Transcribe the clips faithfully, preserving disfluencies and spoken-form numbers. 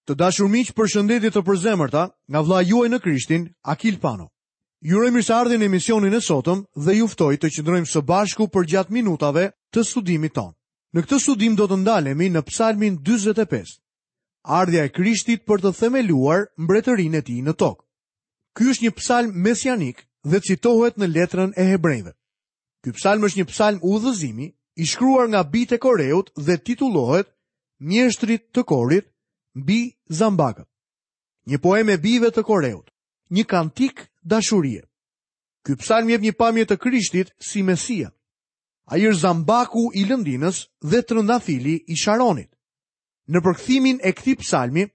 Të dashur miq, përshëndetje të përzemërta nga vëllai juaj në Krishtin, Akil Pano. Ju uroj mirëseardhjen në emisionin e sotëm dhe ju ftoj të qëndrojmë së bashku përgjatë minutave të studimit tonë. Në këtë studim do të ndalemi në Psalmin dyzet e pesë. Ardhja e Krishtit për të themeluar mbretërinë e tij në tokë. Ky është një psalm mesianik dhe citohet në letrën e Hebrejve. Ky psalm është një psalm udhëzimi i shkruar nga bijtë e Koreut dhe titullohet Mjeshtrit të Korit mbi zambakët. Një poemë e bijve të Koreut, një kantik dashurie. Ky psalm jep një pamje të Krishtit si Mesia. Ai është zambaku i lëndinës dhe trëndafili i Sharonit. Në përkthimin e këtij psalmi,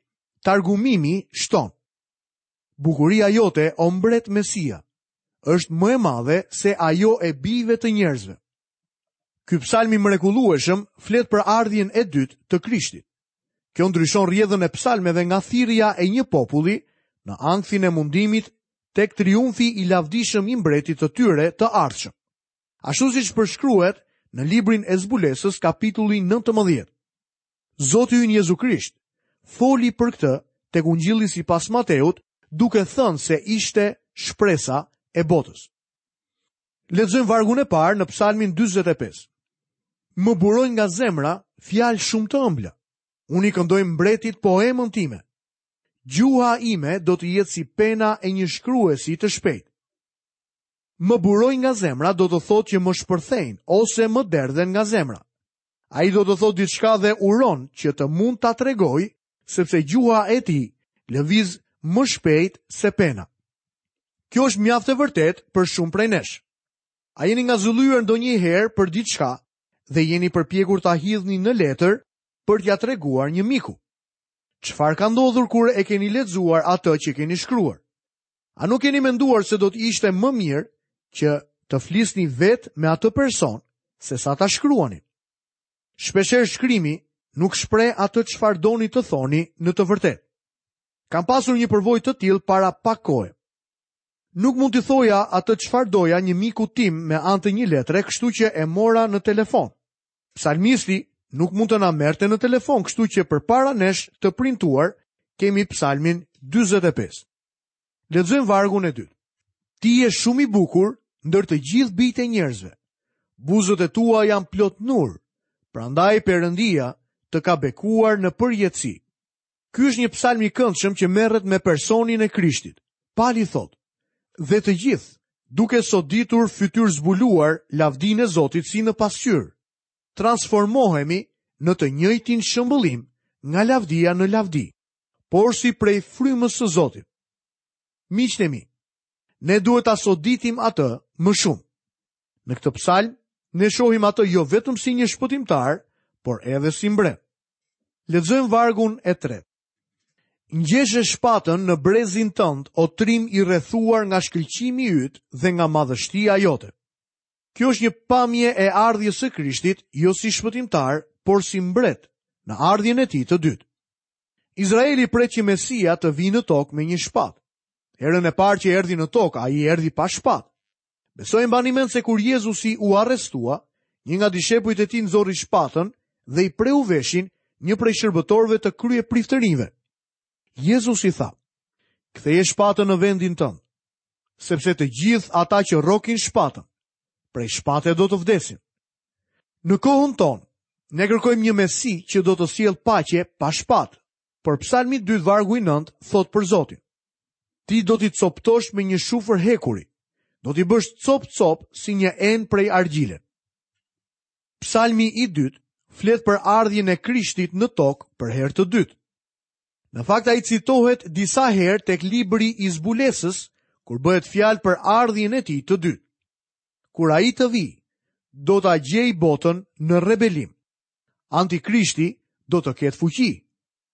targumimi shton: Bukuria jote, o mbret Mesia, është më e madhe se ajo e bijve të njerëzve. Ky psalm i mrekullueshëm flet për ardhjen e dytë të Krishtit. Kjo ndryshon rrjedhën e psalmeve nga thirrja e një populli në ankthin e mundimit tek triumfi i lavdishëm i mbretit të tyre të ardhshëm. Ashtu siç përshkruhet në librin e Zbulesës, kapitulli nëntëmbëdhjetë. Zoti ynë Jezu Krisht foli për këtë tek Ungjilli sipas Mateut, duke thënë se ishte shpresa e botës. Lexojmë vargun e parë në Psalmin dyzet e pesë. Më burojnë nga zemra fjalë shumë të ëmbla. Unë i këndoj mbretit poemën time. Gjuha ime do të jetë si pena e një shkruesi të shpejtë. Më burojnë nga zemra do të thotë që më shpërthejnë ose më derdhen nga zemra. Ai do të thotë diçka dhe uron që të mund ta tregoj, sepse gjuha e tij lëviz më shpejt se pena. Kjo është mjaft e vërtetë për shumë prej nesh. A jeni ngazëllyer ndonjëherë për diçka dhe jeni përpjekur ta hidhni në letër për t'ia treguar një miku? Çfarë ka ndodhur kur e keni lexuar atë që keni shkruar? A nuk keni menduar se do të ishte më mirë që të flisni vetë me atë person se sa ta shkruani? Shpeshherë shkrimi nuk shpreh atë çfarë doni të thoni në të vërtetë. Kam pasur një përvojë të tillë para pak kohe. Nuk mund t'i thoja atë çfarë doja një miku tim me anë të një letre, kështu që e mora në telefon. Psalmisti nuk mund të na merrte në telefon, kështu që përpara nesh të printuar kemi Psalmin dyzet e pesë. Lexojmë vargun e dytë. Ti je shumë i bukur ndër të gjithë bijtë e njerëzve. Buzët e tua janë plot nur, prandaj Perëndia të ka bekuar në përjetësi. Ky është një psalm i këndshëm që merret me personin e Krishtit. Pali thotë: Dhe të gjithë, duke soditur fytyrë zbuluar lavdinë e Zotit si në pasqyrë, transformohemi në të njëjtin shëmbëllim nga lavdia në lavdi, por si prej frymës së Zotit. Miqtë e mi, ne duhet ta soditim atë më shumë. Në këtë psalm, ne shohim atë jo vetëm si një shpëtimtar, por edhe si mbret. Lexojmë vargun e tretë. Ngjeshe shpatën në brezin tënd, o trim i rrethuar nga shkëlqimi yt dhe nga madhështia jote. Kjo është një pamje e ardhjes së Krishtit, jo si shpëtimtar, por si mbret, në ardhjen e tij të dytë. Izraeli pret që Mesia të vijë në tokë me një shpatë. Herën e parë që erdhi në tokë, ai erdhi pa shpatë. Besoj mbani mend se kur Jezusi u arrestua, një nga dishepujt e tij nxori shpatën dhe i preu veshin një prej shërbëtorëve të kryepriftërinjve. Jezusi tha: Ktheje shpatën në vendin tënd, sepse të gjithë ata që rrokin shpatën, prej shpate do të vdesin. Në kohën tonë, ne kërkojmë një Mesi që do të sjellë paqe pa shpatë, por Psalmi dy vargu i nëntë thotë për Zotin: Ti do t'i coptosh me një shufër hekuri, do t'i bësh cop-cop si një enë prej argjile. Psalmi i dytë flet për ardhjen e Krishtit në tokë për herë të dytë. Në fakt ai citohet disa herë tek libri i Zbulesës, kur bëhet fjalë për ardhjen e tij të dytë. Kur ai të vijë, do ta gjejë botën në rebelim. Antikrishti do të ketë fuqi.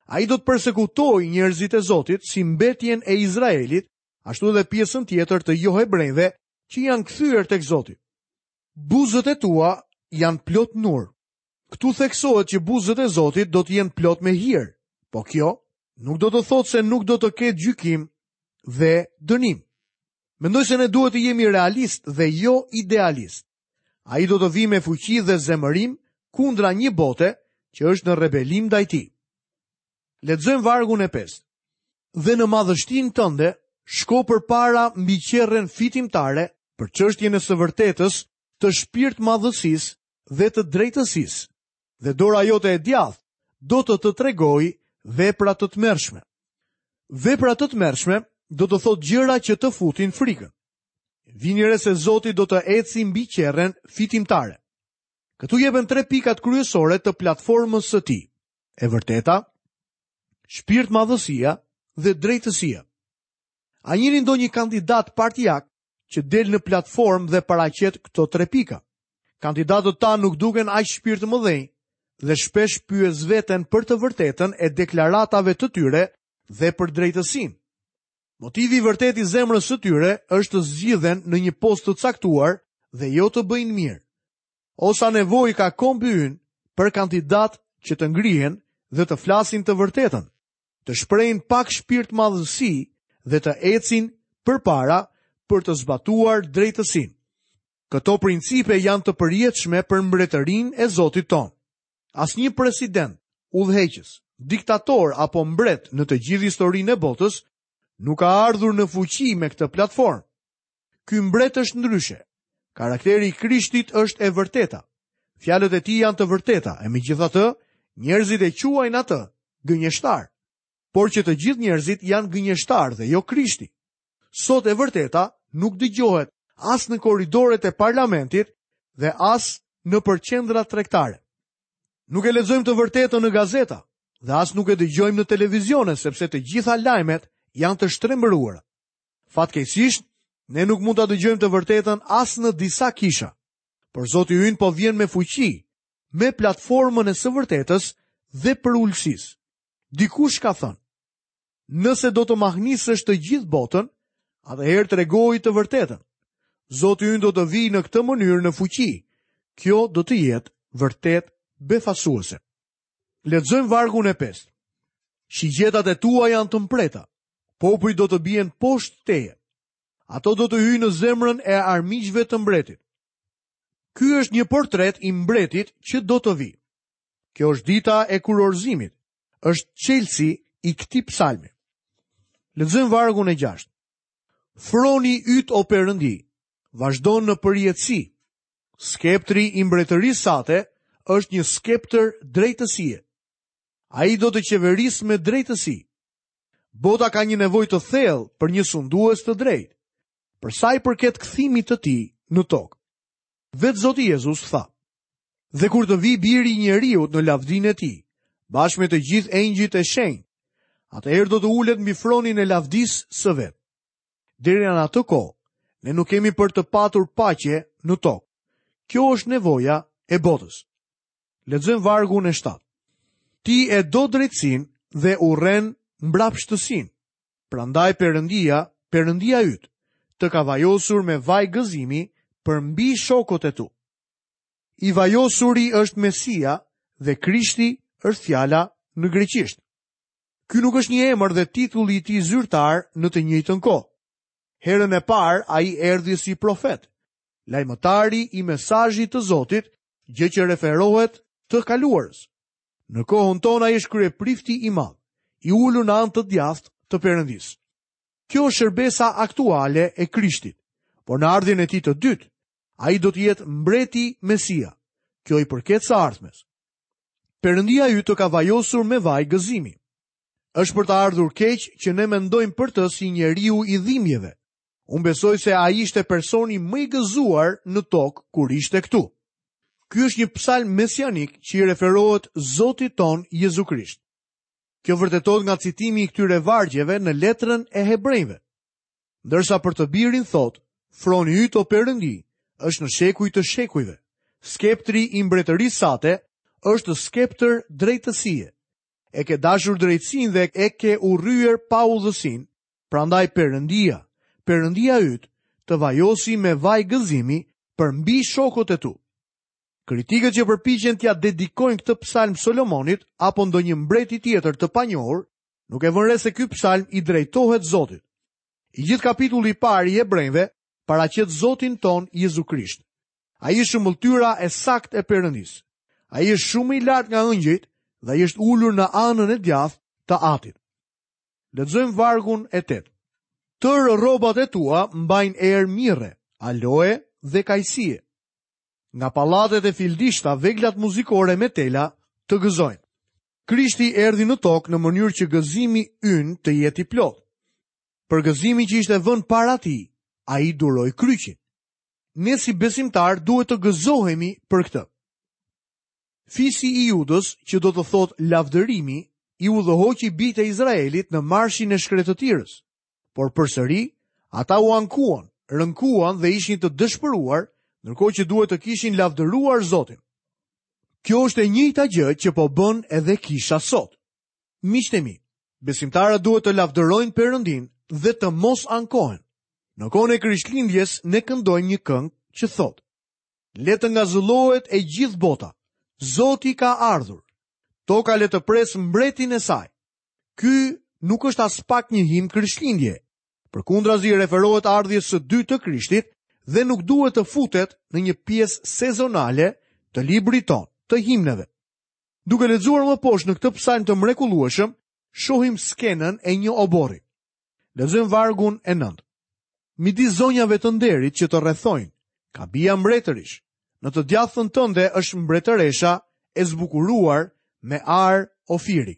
Ai do të persekutojë njerëzit e Zotit si mbetjen e Izraelit, ashtu edhe pjesën tjetër të johebrejve që janë kthyer tek Zoti. Buzët e tua janë plot nur. Këtu theksohet që buzët e Zotit do të jenë plot me hir, po kjo nuk do të thotë se nuk do të ketë gjykim dhe dënim. Mendoj se ne duhet të jemi realist dhe jo idealist. Ai do të vijë me fuqi dhe zemërim kundra një bote që është në rebelim ndaj tij. Lexojmë vargun e pestë. Dhe në madhështinë tënde shko përpara mbi qerren fitimtare për çështjen e së vërtetës, të shpirtmadhësisë dhe të drejtësisë. Dhe dora jote e djathtë do të të tregojë vepra të tmerrshme. Vepra të tmerrshme do të thotë gjëra që të futin frikën. Vini re se Zoti do të eci mbi qerren fitimtare. Këtu jepen tre pikat kryesore të platformës së tij: e vërteta, shpirtmadhësia dhe drejtësia. A njihni ndonjë kandidat partijak që del në platformë dhe paraqet këto tre pika? Kandidatët tanë nuk duken aq shpirtmëdhenj dhe shpesh pyes veten për të vërtetën e deklaratave të tyre dhe për drejtësinë. Motivi i vërtetë i zemrës së tyre është të zgjidhen në një post të caktuar dhe jo të bëjnë mirë. O sa nevojë ka kombi ynë për kandidat që të ngrihen dhe të flasin të vërtetën, të shprehin pak shpirtmadhësi dhe të ecin përpara për të zbatuar drejtësinë. Këto principe janë të përjetshme për mbretërinë e Zotit tonë. Asnjë president, udhëheqës, diktator apo mbret në të gjithë historinë e botës nuk ka ardhur në fuqi me këtë platformë. Ky mbret është ndryshe. Karakteri i Krishtit është e vërteta. Fjalët e tij janë të vërteta, e megjithatë, njerëzit e quajnë atë gënjeshtar. Por që të gjithë njerëzit janë gënjeshtar dhe jo Krishti. Sot e vërteta nuk dëgjohet as në korridoret e parlamentit dhe as në përqendrat tregtare. Nuk e lexojmë të vërtetën në gazeta dhe as nuk e dëgjojmë në televizione, sepse të gjitha lajmet janë të shtrembëruara. Fatkeqësisht, ne nuk mund ta dëgjojmë të vërtetën as në disa kisha. Por Zoti ynë po vjen me fuqi, me platformën e së vërtetës dhe përulësisë. Dikush ka thënë: nëse do të mahnisësh të gjithë botën, atëherë tregoji të vërtetën. Zoti ynë do të vijë në këtë mënyrë në fuqi. Kjo do të jetë vërtet befasuese. Lexojmë vargun e pestë. Shigjetat e tua janë të mprehta. Popujt do të bien poshtë teje. Ato do të hyjnë në zemrën e armiqve të mbretit. Ky është një portret i mbretit që do të vijë. Kjo është dita e kurorzimit. Është çelësi i këtij psalmi. Lexojmë vargun e gjashtë. Froni yt o Perëndi vazhdon në përjetësi. Skeptri i mbretërisë sate është një skeptër drejtësie. Ai do të qeverisë me drejtësi. Bota ka një nevojë të thellë për një sundues të drejtë, për sa i përket kthimit të tij në tokë. Vetë Zoti Jezus tha: Dhe kur të vi biri i njeriut në lavdinë e tij, bashkë me të gjithë engjëjt e shenjtë, atëherë do të ulet mbi fronin e lavdisë së vet. Deri në atë kohë, ne nuk kemi për të patur paqe në tokë. Kjo është nevoja e botës. Lexojmë vargun e shtatë. Ti e do drejtësinë dhe urren mbrapshtësinë. Prandaj Perëndia, Perëndia yt, të ka vajosur me vaj gëzimi për mbi shokët e tu. I vajosuri është Mesia dhe Krishti është fjala në greqisht. Ky nuk është një emër dhe titulli i tij zyrtar në të njëjtën kohë. Herën e parë ai erdhi si profet, lajmëtari i mesazhit të Zotit, gjë që referohet të kaluarës. Në kohën tonë ai është kryeprifti i madh, i ulur në anë të djathtë të Perëndisë. Kjo është shërbesa aktuale e Krishtit, por në ardhjen e tij të dytë, ai do të jetë mbreti Mesia. Kjo i përket së ardhmes. Perëndia yt të ka vajosur me vaj gëzimi. Është për të ardhur keq që ne mendojmë për të si njeriu i dhimbjeve. Unë besoj se ai ishte personi më i gëzuar në tokë kur ishte këtu. Ky është një psalm mesianik që i referohet Zotit ton Jezu Krisht. Kjo vërtetohet nga citimi i këtyre vargjeve në letrën e Hebrejve. Ndërsa për të birin thot, froni yt o Perëndi është në shekuj të shekujve. Skeptri i mbretërisë sate është skeptër drejtësie. E ke dashur drejtësinë dhe e ke urryer paudhësinë, prandaj Perëndia, Perëndia yt, të vajosi me vaj gëzimi për mbi shokët e tu. Kritikët që përpiqen t'ia dedikojnë këtë psalm Solomonit apo ndonjë mbreti tjetër të panjohur, nuk e vënë re se ky psalm i drejtohet Zotit. I gjithë kapitulli i parë i Hebrejve paraqet Zotin ton Jezu Krisht. Ai është shëmbëlltyra e saktë e Perëndisë. Ai është shumë i lartë nga engjëjt dhe ai është ulur në anën e djathtë të Atit. Lexojmë vargun e tetë. Tërë rrobat e tua mbajnë erë mirre, aloe dhe kajsie. Nga pallatet e fildishta veglat muzikore me tela të gëzojnë. Krishti erdhi në tokë në mënyrë që gëzimi ynë të jetë i plotë. Për gëzimin që ishte vënë para tij, ai duroi kryqin. Ne si besimtar duhet të gëzohemi për këtë. Fisi i Judës, që do të thotë lavdërimi, i udhëhoqi bijtë e Izraelit në marshin e shkretëtirës. Por përsëri, ata u ankuan, rënkuan dhe ishin të dëshpëruar, ndërkohë që duhet të kishin lavdëruar Zotin. Kjo është e njëjta gjë që po bën edhe kisha sot. Miqtë e mi, besimtarët duhet të lavdërojnë Perëndin dhe të mos ankohen. Në kohën e Krishtlindjes ne këndojmë një këngë që thotë: Le të ngazëllohet e gjithë bota. Zoti ka ardhur. Toka le të presë mbretin e saj. Ky nuk është as pak një himn Krishtlindje. Përkundrazi i referohet ardhjes së dytë të Krishtit dhe nuk duhet të futet në një pjesë sezonale të librit tonë, të himneve. Duke lexuar më poshtë në këtë psalm të mrekullueshëm, shohim skenën e një oborri. Lexojmë vargun e nëntë. Midis zonjave të nderit që të rrethojnë, ka bija mbretërish. Në të djathtën tënde është mbretëresha e zbukuruar me ar ofiri.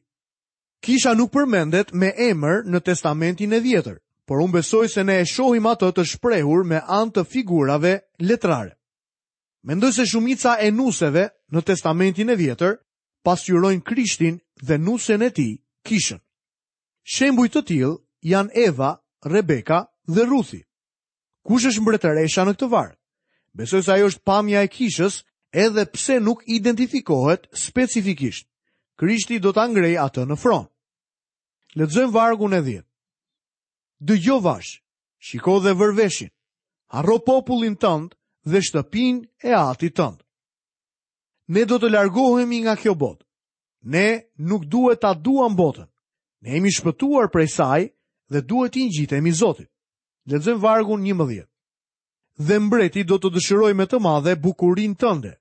Kisha nuk përmendet me emër në Testamentin e Vjetër, por unë besoj se ne e shohim atë të shprehur me anë të figurave letrare. Mendoj se shumica e nuseve në Testamentin e Vjetër pasqyrojnë Krishtin dhe nusen e tij, kishën. Shembuj të tillë janë Eva, Rebeka dhe Ruthi. Kush është mbretëresha në këtë varg? Besoj se ajo është pamja e kishës, edhe pse nuk identifikohet specifikisht. Krishti do ta ngrejë atë në fron. Lexojmë vargun e dhjetë. Dëgjo vash, shiko dhe vër veshin. Harro popullin tënd dhe shtëpinë e atit tënd. Ne do të largohemi nga kjo botë. Ne nuk duhet ta duam botën. Ne jemi shpëtuar prej saj dhe duhet t'i ngjitemi Zotit. Lexojmë vargun njëmbëdhjetë. Dhe mbreti do të dëshirojë me të madhe bukurinë tënde.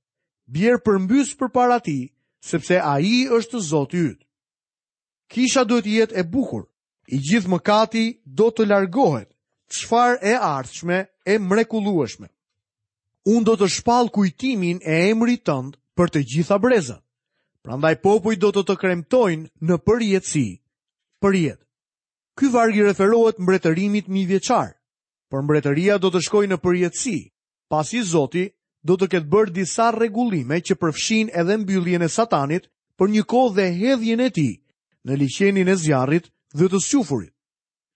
Bjer përmbys përpara tij, sepse ai është Zoti yt. Kisha duhet të jetë e bukur. I gjithë mëkati do të largohet. Çfarë e ardhshme e mrekullueshme. Unë do të shpall kujtimin e emrit tënd për të gjitha brezat. Prandaj popujt do të të kremtojnë në përjetësi, për jetë. Ky varg i referohet mbretërimit mijëvjeçar, por mbretëria do të shkojë në përjetësi, pasi Zoti do të ketë bërë disa rregullime që përfshin edhe mbylljen e Satanit për një kohë dhe hedhjen e tij në liqenin e zjarrit dhe të squfurit.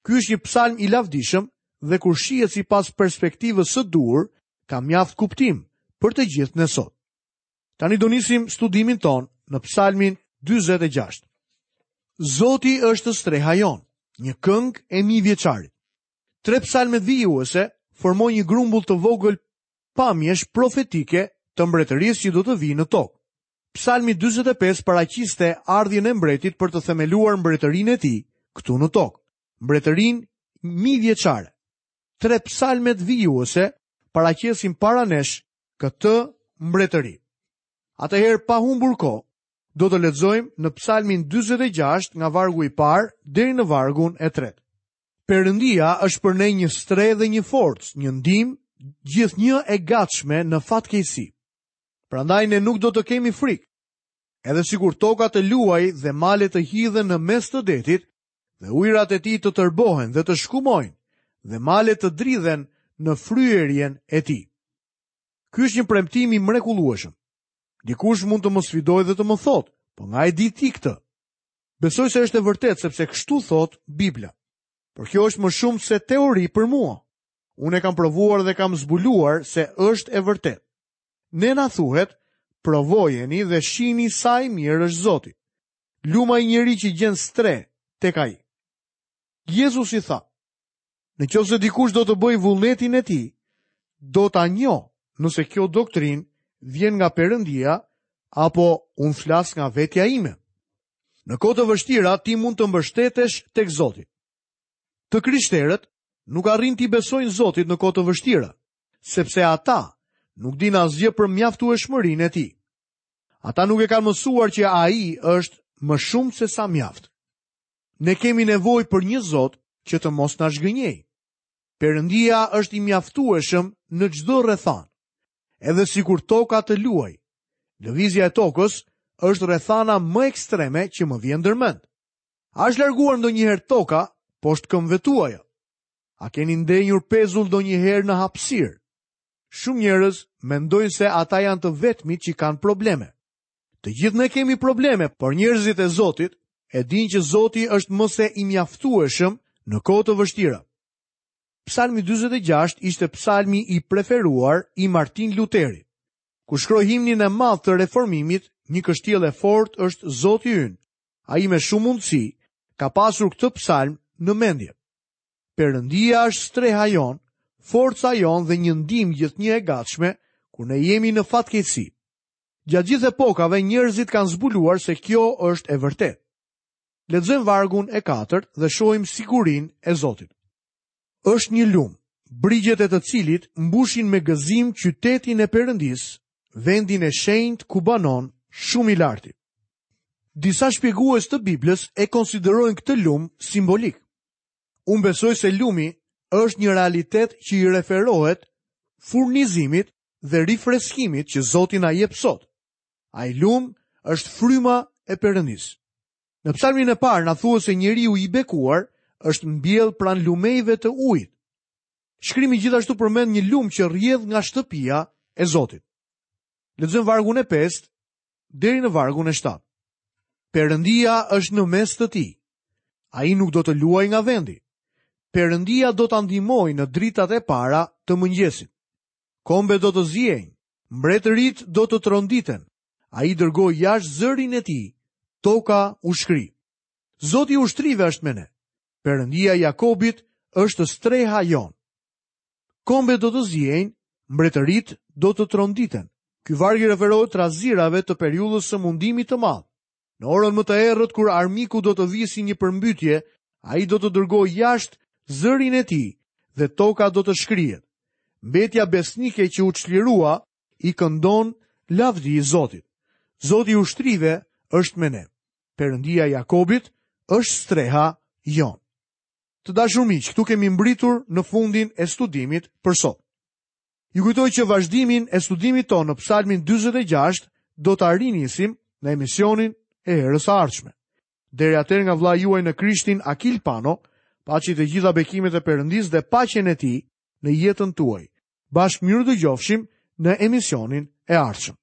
Ky është një psalm i lavdishëm dhe kur shihet sipas perspektivës së duhur, ka mjaft kuptim për të gjithë ne sot. Tani do nisim studimin ton në psalmin dyzet e gjashtë. Zoti është streha jonë, një këngë e mijëvjeçarit. Tre psalmet vijuese formojnë një grumbull të vogël pamjesh profetike të mbretërisë që do të vijë në tokë. Psalmi dyzet e pesë paraqiste ardhjen e mbretit për të themeluar mbretërinë e tij këtu në tokë, mbretërinë mijëvjeçare. Tre psalmet vijuese paraqesin para nesh këtë mbretëri. Atëherë, pa humbur kohë, do të lexojmë në psalmin dyzet e gjashtë nga vargu i parë deri në vargun e tretë. Perëndia është për ne një strehë dhe një forcë, një ndihmë gjithnjë e gatshme në fatkeqësi. Prandaj ne nuk do të kemi frikë. Edhe sikur toka të luaj dhe malet të hidhen në mes të detit, dhe ujërat e tij të tërbohen dhe të shkumojnë, dhe malet të dridhen në fryerjen e tij. Ky është një premtim i mrekullueshëm. Dikush mund të më sfidojë dhe të më thotë, po nga e di ti këtë? Besoj se është e vërtetë sepse kështu thotë Bibla. Por kjo është më shumë se teori për mua. Unë e kam provuar dhe kam zbuluar se është e vërtetë. Ne na thuhet, provojeni dhe shihni sa i mirë është Zoti. Luma i njeri që gjen strehë tek ai. Jezusi tha, në qoftë se dikush do të bëjë vullnetin e tij, do ta njoh nëse kjo doktrinë vjen nga Perëndia apo unë flas nga vetja ime. Në kohë të vështira ti mund të mbështetesh tek Zoti. Të krishterët nuk arrin t'i besojnë Zotit në kohë të vështira, sepse ata nuk dinë asgjë për mjaftueshmërinë e tij. Ata nuk e kanë mësuar që ai është më shumë se sa mjaft. Ne kemi nevojë për një Zot që të mos na zhgënjejë. Perëndia është i mjaftueshëm në çdo rrethanë. Edhe sikur toka të luajë. Lëvizja e tokës është rrethana më ekstreme që më vjen ndërmend. A është larguar ndonjëherë toka poshtë këmbëve tuaja? A keni ndenjur pezull ndonjëherë në hapësirë? Shumë njerëz mendojnë se ata janë të vetmit që kanë probleme. Të gjithë ne kemi probleme, por njerëzit e Zotit e dinë që Zoti është më se i mjaftueshëm në kohë të vështira. Psalmi dyzet e gjashtë ishte psalmi i preferuar i Martin Luterit. Kur shkroi himnin e madh të reformimit, një kështjellë e fortë është Zoti ynë. Ai me shumë mundësi ka pasur këtë psalm në mendje. Perëndia është streha jonë, forca jonë dhe një ndihmë gjithnjë e gatshme kur ne jemi në fatkeqësi. Gjatë gjithë epokave njerëzit kanë zbuluar se kjo është e vërtetë. Lexojmë vargun e katërt dhe shohim sigurinë e Zotit. Është një lum, brigjet e të cilit mbushin me gëzim qytetin e Perëndisë, vendin e shenjtë ku banon shumë i larti. Disa shpjegues të Biblës e konsiderojnë këtë lum simbolik. Unë besoj se lumi është një realitet që i referohet furnizimit dhe rifreskimit që Zoti na jep sot. Ai lum është fryma e Perëndisë. Në psalmin e parë na thuhet se njeriu i bekuar është mbjell pranë lumejve të ujit. Shkrimi gjithashtu përmend një lum që rrjedh nga shtëpia e Zotit. Lexojmë vargun e pestë deri në vargun e shtatë. Perëndia është në mes të tij. Ai nuk do të luajë nga vendi. Perëndia do ta ndihmojë në dritat e para të mëngjesit. Kombe do të ziejnë, mbretërit do të tronditen. Ai dërgoi jashtë zërin e tij, toka u shkri. Zoti i ushtrive është me ne. Perëndia i Jakobit është streha jonë. Kombe do të ziejnë, mbretërit do të tronditen. Ky varg i referohet trazirave të periudhës së mundimit të madh. Në orën më të errët kur armiku do të vijë si një përmbytje, ai do të dërgojë jashtë zërin e tij dhe toka do të shkrihet. Mbetja besnike që u çlirua i këndon lavdi Zotit. Zoti i ushtrive është me ne. Perëndia i Jakobit është streha jonë. Të dashur miq, këtu kemi mbritur në fundin e studimit për sot. Ju kujtoj që vazhdimin e studimit tonë në Psalmin dyzet e gjashtë do ta rinisim në emisionin e herës së ardhshme. Deri atëherë nga vëllai juaj në Krishtin Akil Pano, paçi të gjitha bekimet e Perëndisë dhe paqen e tij në jetën tuaj. Bashkë mirë dëgjofshim në emisionin e ardhshëm.